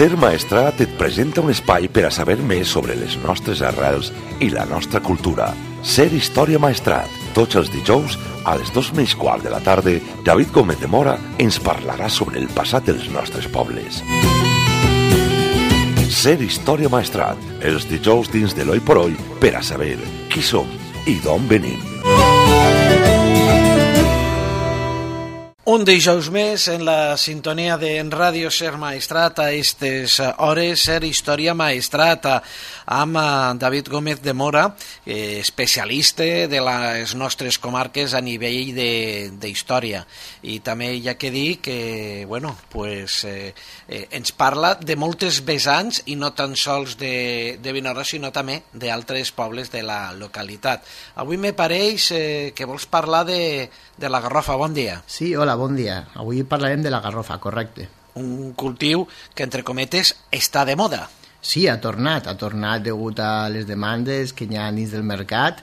Ser Maestrat et presenta un espai per a saber més sobre les nostres arrels i la nostra cultura. Ser Història Maestrat. Tots els dijous, a les 2:15 de la tarda, David Gómez de Mora ens parlarà sobre el passat dels nostres pobles. Ser Història Maestrat. Els dijous dins de l'Oi por Oi per a saber qui som i d'on venim. Un dijous més en la sintonia de Ràdio Ser Maestrat a aquestes hores, Ser Història Maestrat amb David Gómez de Mora, especialista de les nostres comarques a nivell d'història. I també hi ha que dir que ens parla de moltes vessants i no tan sols de Vinaròs, sinó també d'altres pobles de la localitat. Avui me pareix que vols parlar de la garrofa. Bon dia. Sí, hola, bon dia. Avui parlarem de la garrofa, correcte. Un cultiu que, entre cometes, està de moda. Sí, ha tornat degut a les demandes que hi ha dins del mercat,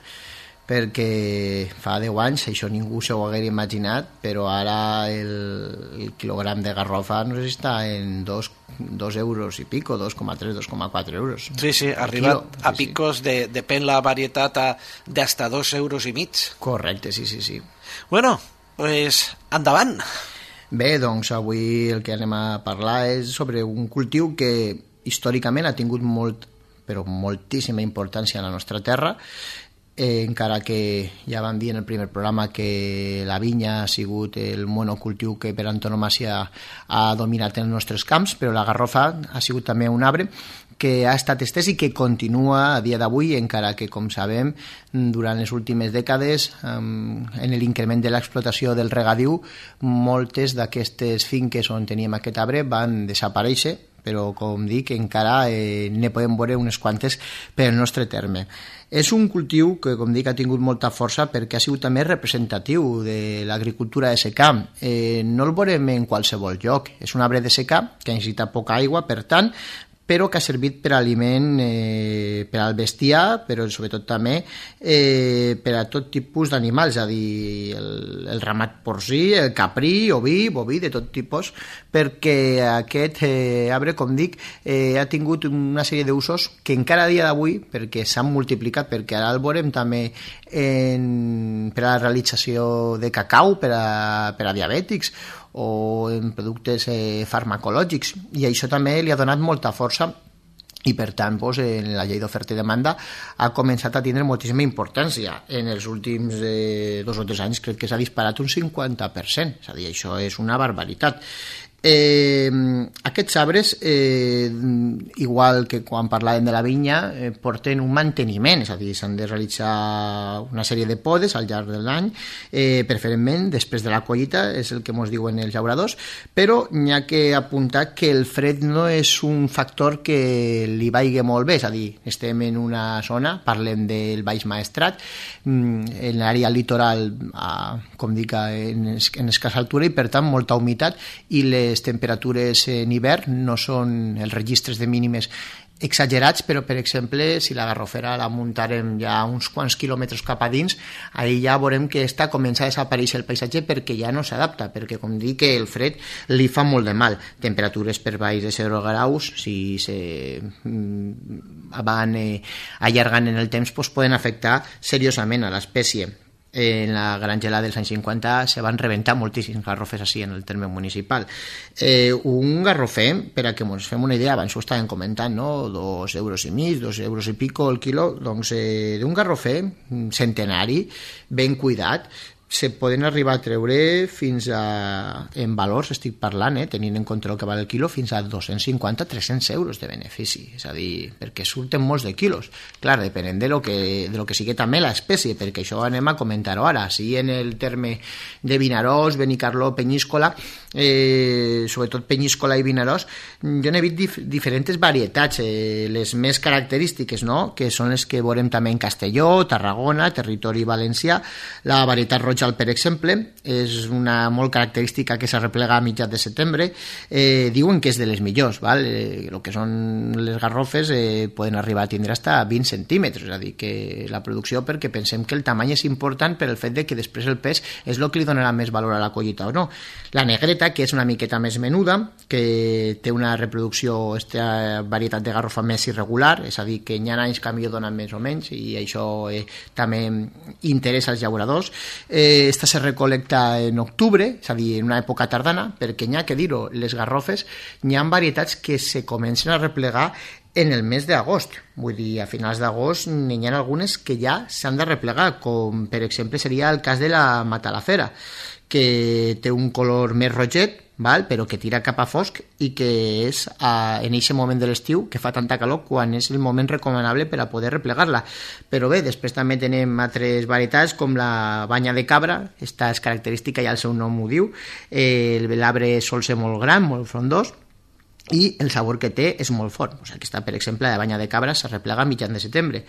perquè fa 10 anys això ningú s'ho hagués imaginat, però ara el quilogram de garrofa no sé si està en 2 euros i pico, 2,3, 2,4 euros. Sí, ha arribat a picos, depèn la varietat, d'hasta 2 euros i mig. Correcte, sí. Bueno, pues endavant. Bé, doncs avui el que anem a parlar és sobre un cultiu que històricament ha tingut moltíssima importància en la nostra terra, encara que ja vam dir en el primer programa que la vinya ha sigut el monocultiu que per antonomàsia ha dominat en els nostres camps, però la garrofa ha sigut també un arbre que ha estat estès i que continua a dia d'avui, encara que, com sabem, durant les últimes dècades, en l'increment de l'explotació del regadiu, moltes d'aquestes finques on teníem aquest arbre van desaparèixer, però, com dic, encara ne podem veure unes quantes pel nostre terme. És un cultiu que, com dic, ha tingut molta força perquè ha sigut també representatiu de l'agricultura de secà. No el veurem en qualsevol lloc. És un arbre de secà que necessita poca aigua, per tant, però que ha servit per aliment per al bestiar, però sobretot també per a tot tipus d'animals, és a dir, el ramat porcí, el caprí, oví, boví, de tot tipus, perquè aquest arbre, com dic, ha tingut una sèrie d'usos que encara a dia d'avui, perquè s'han multiplicat, perquè ara el veurem també per a la realització de cacau per a diabètics, o en productes farmacològics, i això també li ha donat molta força i per tant en la llei d'oferta i demanda ha començat a tindre moltíssima importància. En els últims 2 o 3 anys crec que s'ha disparat un 50%, és a dir, això és una barbaritat. Aquests arbres, igual que quan parlàvem de la vinya, porten un manteniment, és a dir, s'han de realitzar una sèrie de podes al llarg de l'any, preferentment després de la collita, és el que ens diuen els llauradors, però n'hi ha que apuntar que el fred no és un factor que li vagi molt bé, és a dir, estem en una zona, parlem del Baix Maestrat, en l'àrea litoral, com dic, en escassa altura i per tant molta humitat, i les temperatures en hivern no són els registres de mínimes exagerats, però per exemple si la garrofera la muntarem ja uns quants quilòmetres cap a dins, ahí ja veurem que comença a desaparèixer el paisatge perquè ja no s'adapta, perquè com dic el fred li fa molt de mal. Temperatures per baix de 0 graus, si se van allargant en el temps, poden afectar seriosament a l'espècie. En la gran gelada dels anys 50 se van rebentar moltíssims garrofers així en el terme municipal. Un garrofer, per a que ens fem una idea, abans ho estàvem comentant, no? 2 euros i mig, 2 euros i pico el quilo, doncs d'un garrofer centenari, ben cuidat, se poden arribar a treure fins a, en valors estic parlant, tenint en compte el que val el quilo, fins a 250-300 euros de benefici, és a dir, perquè surten molts de quilos. Clar, depenent de lo que sigui també l'espècie, perquè això anem a comentar-ho ara, si en el terme de Vinaròs, Benicarló, Penyíscola, sobretot Penyíscola i Vinaròs, jo n'he vist diferents varietats, les més característiques, no?, que són les que veurem també en Castelló, Tarragona, territori valencià, la varietat roja Tochal, per exemple, és una molt característica que s'arreplega a mitjans de setembre. Diuen que és de les millors, val? El que són les garrofes poden arribar a tindre fins a 20 centímetres, és a dir, que la producció, perquè pensem que el tamany és important per el fet de que després el pes és el que li donarà més valor a la collita o no. La negreta, que és una miqueta més menuda, que té una reproducció, aquesta varietat de garrofa més irregular, és a dir, que hi ha anys que millor donen més o menys, i això també interessa als llauradors. Esta se recolecta en octubre, és a dir, en una època tardana, perquè n'hi ha que dir-ho, les garrofes, n'hi ha varietats que se comencen a replegar en el mes d'agost. Vull dir, a finals d'agost n'hi ha algunes que ja s'han de replegar, com per exemple seria el cas de la matalafera, que té un color més roget, val? Però que tira cap a fosc i que és en aquest moment de l'estiu que fa tanta calor quan és el moment recomanable per a poder replegar-la. Però bé, després també tenem altres varietats com la banya de cabra, aquesta és característica, ja el seu nom ho diu, l'arbre sol ser molt gran, molt frondós, i el sabor que té és molt fort. Aquesta, per exemple, la banya de cabra se replega a mitjan de setembre.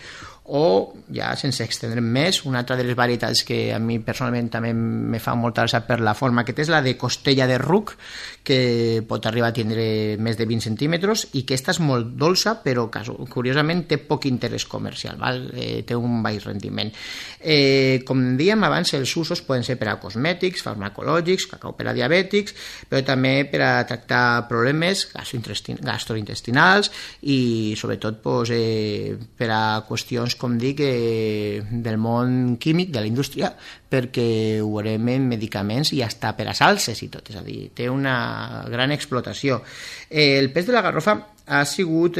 O, ja sense extendre'm més, una altra de les varietats que a mi personalment també me fa molta gràcia per la forma que té és la de costella de ruc, que pot arribar a tindre més de 20 centímetres i que aquesta és molt dolça, però curiosament té poc interès comercial, val? Té un baix rendiment. Com dèiem abans, els usos poden ser per a cosmètics, farmacològics, cacau per a diabètics, però també per a tractar problemes gastrointestinals i sobretot per a qüestions, com dic, del món químic, de la indústria, perquè ho veurem en medicaments i hasta per a salses i tot, és a dir, té una gran explotació. El pes de la garrofa ha sigut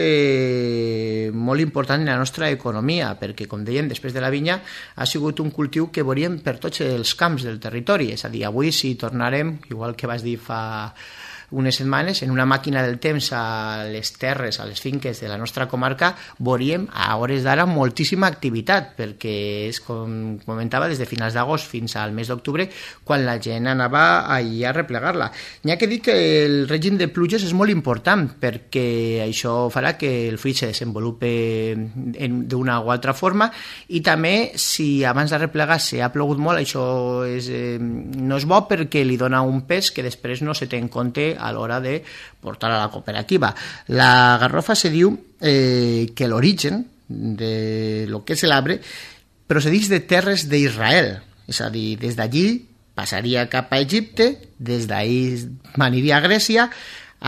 molt important en la nostra economia, perquè, com dèiem, després de la vinya ha sigut un cultiu que veuríem per tots els camps del territori, és a dir, avui si tornarem, igual que vas dir fa unes setmanes, en una màquina del temps a les terres, a les finques de la nostra comarca, veuríem a hores d'ara moltíssima activitat, perquè és, com comentava, des de finals d'agost fins al mes d'octubre, quan la gent anava allà a replegar-la. N'hi ha que dir que el règim de pluges és molt important, perquè això farà que el fruit se desenvolupi d'una o altra forma, i també, si abans de replegar s'ha plogut molt, això no és bo, perquè li dona un pes que després no se té en compte a l'hora de portar a la cooperativa. La garrofa se diu que l'origen de lo que és l'arbre procedeix de terres d'Israel, és a dir, des d'allí passaria cap a Egipte, des d'ahí aniria a Grècia,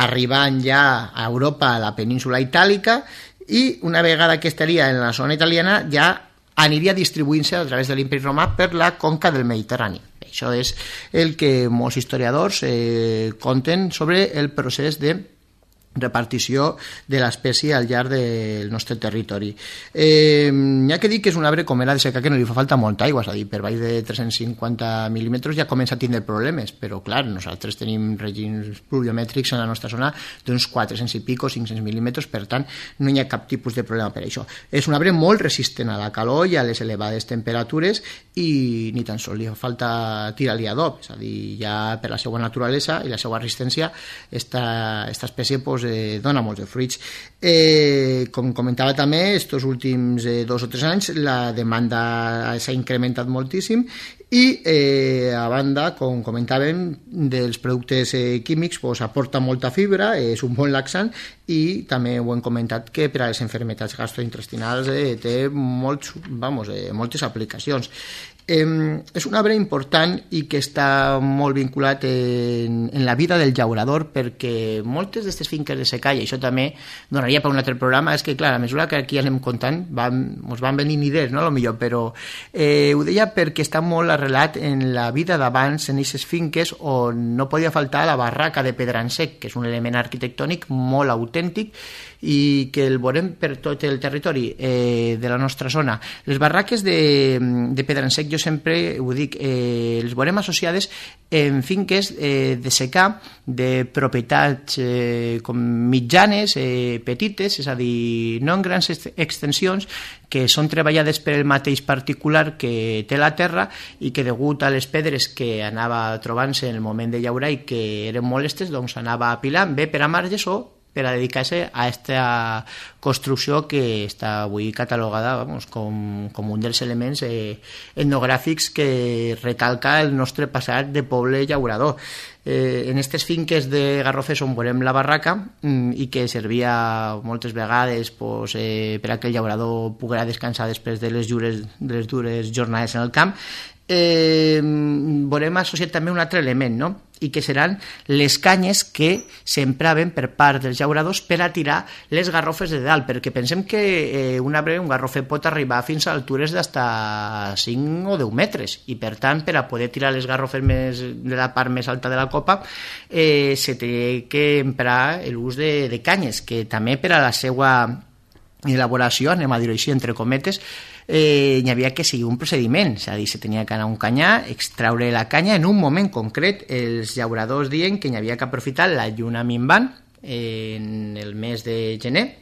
arribant ja a Europa, a la península itàlica, i una vegada que estaria en la zona italiana ja aniria distribuint-se a través de l'Imperi Romà per la conca del Mediterrani. Això és el que molts historiadors conten sobre el procés de repartició de l'espècie al llarg del nostre territori. N'hi ha que dir que és un arbre com era de secà que no li fa falta molta aigua, és a dir, per baix de 350 mil·límetres ja comença a tindre problemes, però clar, nosaltres tenim règims pluviomètrics en la nostra zona d'uns 400 i pico, 500 mil·límetres, per tant no hi ha cap tipus de problema per això. És un arbre molt resistent a la calor i a les elevades temperatures i ni tan sols li fa falta tirar-li adob, és a dir, ja per la seva naturalesa i la seva resistència esta espècie dona molts de fruits. Com comentava també, estos últims 2 o 3 anys la demanda s'ha incrementat moltíssim i a banda, com comentàvem, dels productes químics aporta molta fibra, és un bon laxant i també ho hem comentat que per a les malalties gastrointestinals té moltes aplicacions. És un arbre important i que està molt vinculat en la vida del llaurador, perquè moltes d'aquestes finques de secà, i això també donaria per un altre programa, és que clar, a mesura que aquí anem comptant ens van venint idees, no? Millor, però ho deia perquè està molt arrelat en la vida d'abans, en aquestes finques on no podia faltar la barraca de pedransec, que és un element arquitectònic molt autèntic i que el veurem per tot el territori de la nostra zona. Les barraques de pedransec, jo sempre ho dic, les veurem associades en finques de secà de propietats com mitjanes, petites, és a dir, no en grans extensions, que són treballades per el mateix particular que té la terra i que degut a les pedres que anava trobant-se en el moment de llaurar i que eren molestes, doncs anava apilant bé per a marges o per a dedicar-se a aquesta construcció que està avui catalogada com un dels elements etnogràfics que recalca el nostre passat de poble llaurador. En aquestes finques de Garrofers on veurem la barraca i que servia moltes vegades per a que el llaurador poguera descansar després de les dures jornades en el camp, veurem associat també un altre element, no? I que seran les canyes que s'empraven per part dels llauradors per a tirar les garrofes de dalt, perquè pensem que un garrofer pot arribar fins a altures d'hasta 5 o 10 metres, i per tant, per a poder tirar les garrofes de la part més alta de la copa, se té que emprar l'ús de canyes, que també per a la seva elaboració, anem a dir-ho així, entre cometes, hi havia que seguir un procediment, és a dir, se tenia que anar a un canyar, extraure la canya en un moment concret. Els llauradors diuen que hi havia que aprofitar la lluna minvant en el mes de gener,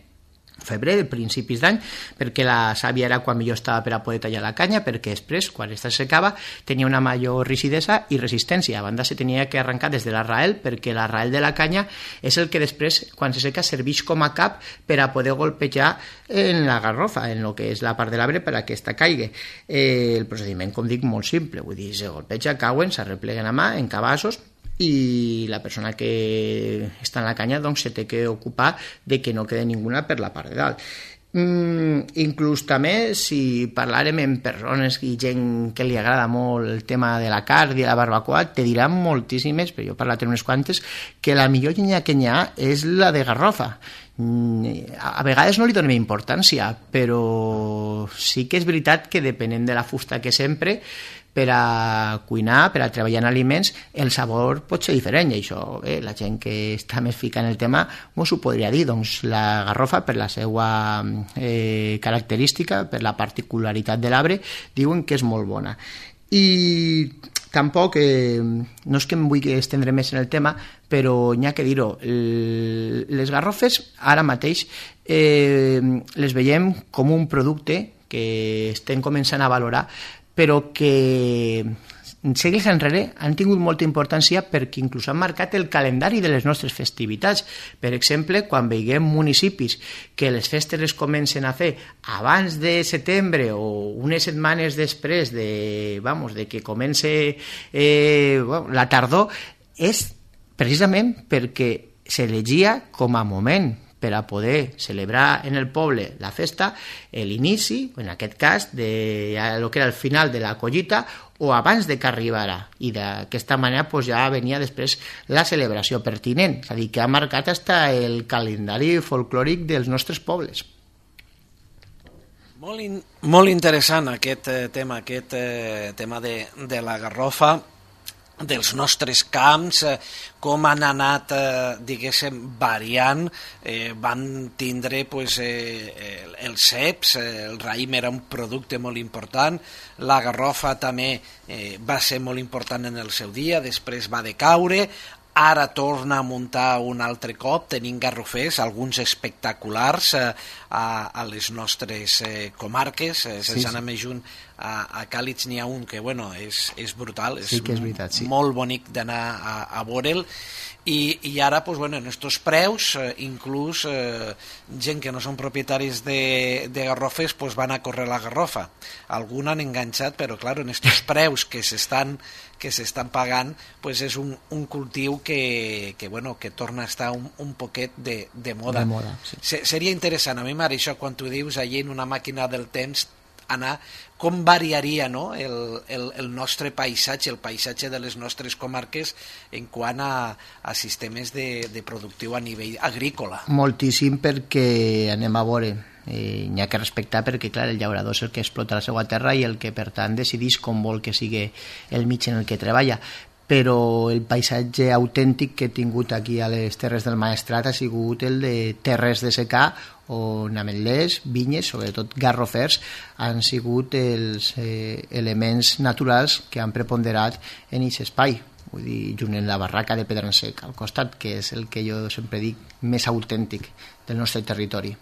febrer, principis d'any, perquè la sàvia era quan millor estava per a poder tallar la canya, perquè després, quan esta secava, tenia una major rigidesa i resistència. A banda, se tenia que arrencar des de l'arrael, perquè l'arrael de la canya és el que després, quan se seca, serveix com a cap per a poder golpejar en la garrofa, en el que és la part de l'arbre, per a que esta caigui. El procediment, com dic, molt simple, vull dir, se golpeja, cauen, s'arrepleguen a mà, en cabassos, i la persona que està en la canya doncs se té que ocupar de que no quede ninguna per la part de dalt. Inclús també, si parlàrem amb persones i gent que li agrada molt el tema de la carn i la barbacoa, te diran moltíssimes, però jo he parlat amb unes quantes, que la millor llenya que hi ha és la de garrofa. A vegades no li donem importància, però sí que és veritat que depenent de la fusta que s'empre per a cuinar, per a treballar en aliments, el sabor pot ser diferent, i això la gent que està més fica en el tema mos ho podria dir. Doncs la garrofa, per la seva característica, per la particularitat de l'arbre, diuen que és molt bona. I tampoc, no és que em vull estendre més en el tema, però n'hi ha que dir-ho, les garrofes ara mateix les veiem com un producte que estem començant a valorar, però que segles enrere han tingut molta importància perquè inclús han marcat el calendari de les nostres festivitats. Per exemple, quan veiem municipis que les festes les comencen a fer abans de setembre o unes setmanes després de que comence la tardor, és precisament perquè s'elegia com a moment per a poder celebrar en el poble la festa, l'inici, en aquest cas, de lo que era el final de la collita, o abans de que arribara. I d'aquesta manera ja venia després la celebració pertinent, és a dir, que ha marcat fins el calendari folclòric dels nostres pobles. Molt interessant aquest tema de la garrofa, dels nostres camps, com han anat, diguéssim, variant. Van tindre els ceps, el raïm era un producte molt important, la garrofa també va ser molt important en el seu dia, després va decaure, ara torna a muntar un altre cop, tenim garrofers, alguns espectaculars a les nostres comarques, sense anar més junt, a Càlits n'hi ha un que és brutal, és veritat, molt bonic d'anar a veure'l, i ara en estos preus inclús gent que no són propietaris de garrofers van a córrer la garrofa. Alguns han enganxat, però clar, en estos preus que s'estan pagant, és un cultiu que torna a estar un poquet de moda. Seria interessant, a mi m'agrada això quan tu dius allí en una màquina del temps anar, com variaria el nostre paisatge, el paisatge de les nostres comarques en quant a sistemes de productiu a nivell agrícola. Moltíssim, perquè anem a veure, n'hi ha que respectar perquè clar, el llaurador és el que explota la seva terra i el que per tant decideix com vol que sigui el mig en el que treballa, però el paisatge autèntic que he tingut aquí a les Terres del Maestrat ha sigut el de terres de secà, on ametllers, vinyes, sobretot garrofers, han sigut els elements naturals que han preponderat en aquest espai. Vull dir, junt en la barraca de Pedransec al costat, que és el que jo sempre dic més autèntic del nostre territori.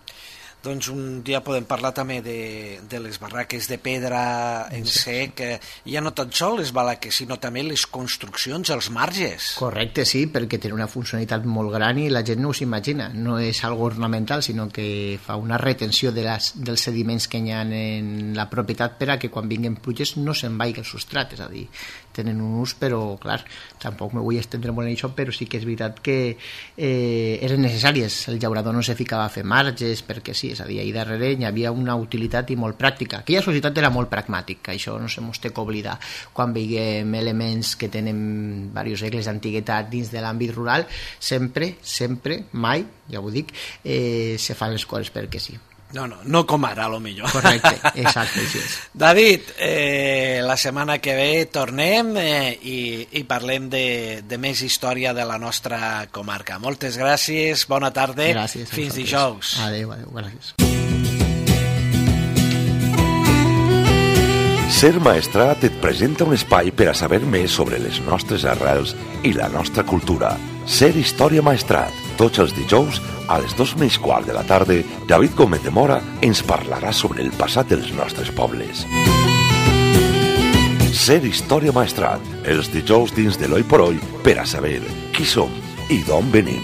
doncs un dia podem parlar també de les barraques de pedra en sec, ja no tan sols les barraques, sinó també les construccions, els marges. Correcte, sí, perquè té una funcionalitat molt gran i la gent no us imagina. No és algo ornamental, sinó que fa una retenció dels sediments que hi ha en la propietat per a que quan vinguen pluges no se'n vagi el substrat, és a dir, tenen un ús, però clar, tampoc me vull estendre molt en això, però sí que és veritat que eren necessàries. El llaurador no se ficava a fer marges perquè sí, és a dir, ahir darrere hi havia una utilitat i molt pràctica. Aquella societat era molt pragmàtica, això no se mos té que oblidar. Quan veiem elements que tenen diversos segles d'antiguitat dins de l'àmbit rural, sempre, mai, ja ho dic, se fan les coses perquè sí. No com ara, a lo millor. Correcte, exacte, així és. David, la setmana que ve tornem i parlem de més història de la nostra comarca. Moltes gràcies, bona tarda, gràcies, fins dijous. Adéu, gràcies. Ser Maestrat et presenta un espai per a saber més sobre les nostres arrels i la nostra cultura. Ser Història Maestrat. Tots els dijous, a les 2:15 de la tarda, David Gómez de Mora ens parlarà sobre el passat dels nostres pobles. Ser Història Maestrat. Els dijous dins de l'Oi por Hoy per a saber qui som i d'on venim.